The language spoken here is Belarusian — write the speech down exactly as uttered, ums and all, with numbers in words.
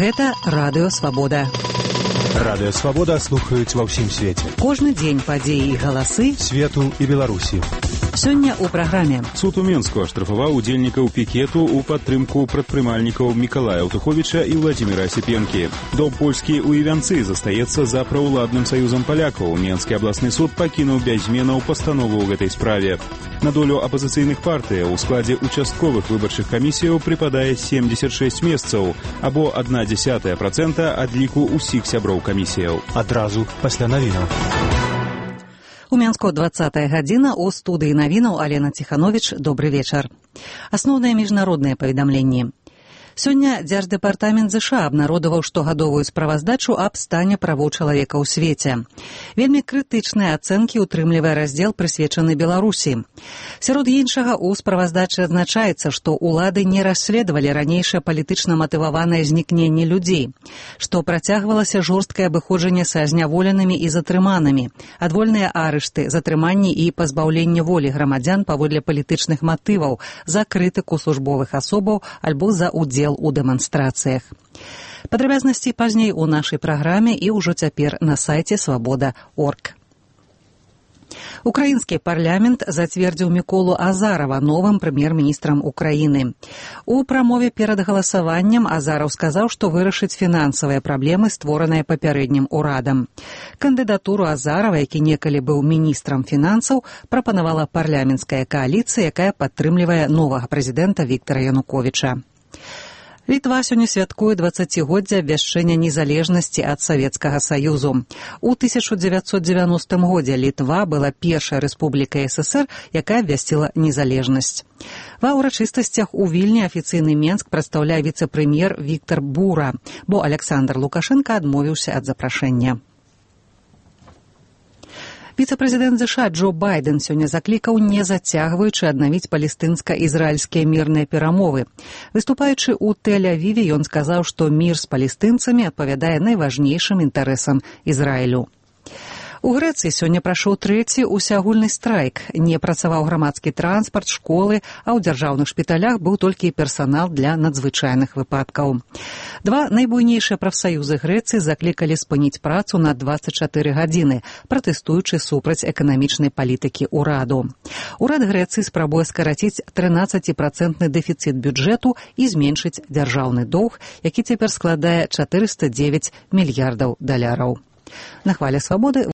Гэта Радыё Свабода. Радыё Свабода слухаюць ва ўсім свеце. Кожны дзень падзеі і галасы свету і Беларусі. Сёння ў праграме. Суд у Менску аштрафаваў удзельнікаў пікету ў падтрымку прадпрымальнікаў Мікалая Аўтуховіча і Владзіміра Асіпенкі. Дом польскі ў Івянцы застаецца за праўладным саюзам палякаў. Менскі абласны суд пакінуў без зменаў пастанову ў гэтай справе. На долю апазіцыйных партыяў у складзе участковых выбарчых камісіяў прыпадае семьдесят шесть месцаў, або адна дзесятая працэнта ад ліку ўсіх сяброў камісіяў. Адразу пасля навінаў. У Менску двадцатая гадзіна, у студыі навінаў Алена Ціхановіч. Добры вечар. Асноўныя міжнародныя паведамленні. Сёння Дзярждэпартамент ЗША абнародаваў штогадовую справаздачу аб стане правоў чалавека ў свеце. Вельмі крытычныя ацэнкі утрымлівае раздзел, прысвечаны Беларусі. Сярод іншага, у справаздачы адзначаецца, што ўлады не расследавалі ранейшае палітычна матываванае знікненне людзей, што працягвалася жорсткае абыходжанне са зняволенымі і затрыманымі, адвольныя арышты, затрыманні і пазбаўленне волі грамадзян паводле палітычных матываў, за крытыку службовых асобаў альбо за ўдзел у дэманстрацыях. Падрабязнасці пазней у нашай праграме і ўжо цяпер на сайце свабода крапка орг. Украінскі парламент зацвердзіў Міколу Азарова новым прэм'ер-міністрам Украіны. У прамове перад галасаваннем Азаров сказаў, што вырашыць фінансавыя праблемы, створаныя папярэднім урадам. Кандыдатуру Азарова, які некалі быў міністрам фінансаў, прапанавала парламенцкая кааліцыя, якая падтрымлівае новага прэзідэнта Віктара Януковіча. Літва сёння святкуе дваццацігоддзе абвяшчэння незалежнасці ад Савецкага Саюзу. У тысяча дзевяцьсот дзевяностым годзе Літва была першай рэспублікай СССР, якая абвясціла незалежнасць. Ва ўрачыстасцях у Вільні афіцыйны Менск прадстаўляе віцэ-прэм'ер Віктар Бура, бо Аляксандр Лукашенка адмовіўся ад запрашэння. Віцэ-прэзідэнт ЗША Джо Байден сёння заклікаў, не зацягваючы, аднавіць палестынска-ізраільскія мірныя перамовы. Выступаючы ў Тель-Авіве, ён сказаў, што мір з палестынцамі адпавядае найважнейшым інтарэсам Ізраілю. У Грэцыі сёння прайшоў трэці усеагульны страйк. Не працаваў грамадскі транспарт, школы, а ў дзяржаўных шпіталях быў толькі персанал для надзвычайных выпадкаў. Два найбуйнейшыя прафсаюзы Грэцыі заклікалі спыніць працу на дваццаць чатыры гадзіны, пратэстуючы супраць эканамічнай палітыкі ўраду. Урад Грэцыі спрабуе скараціць трынаццаціпрацэнтны дэфіцыт бюджэту і зменшыць дзяржаўны доўг, які цяпер складае чатырыста дзевяць мільярдаў даляраў. На хвале свабоды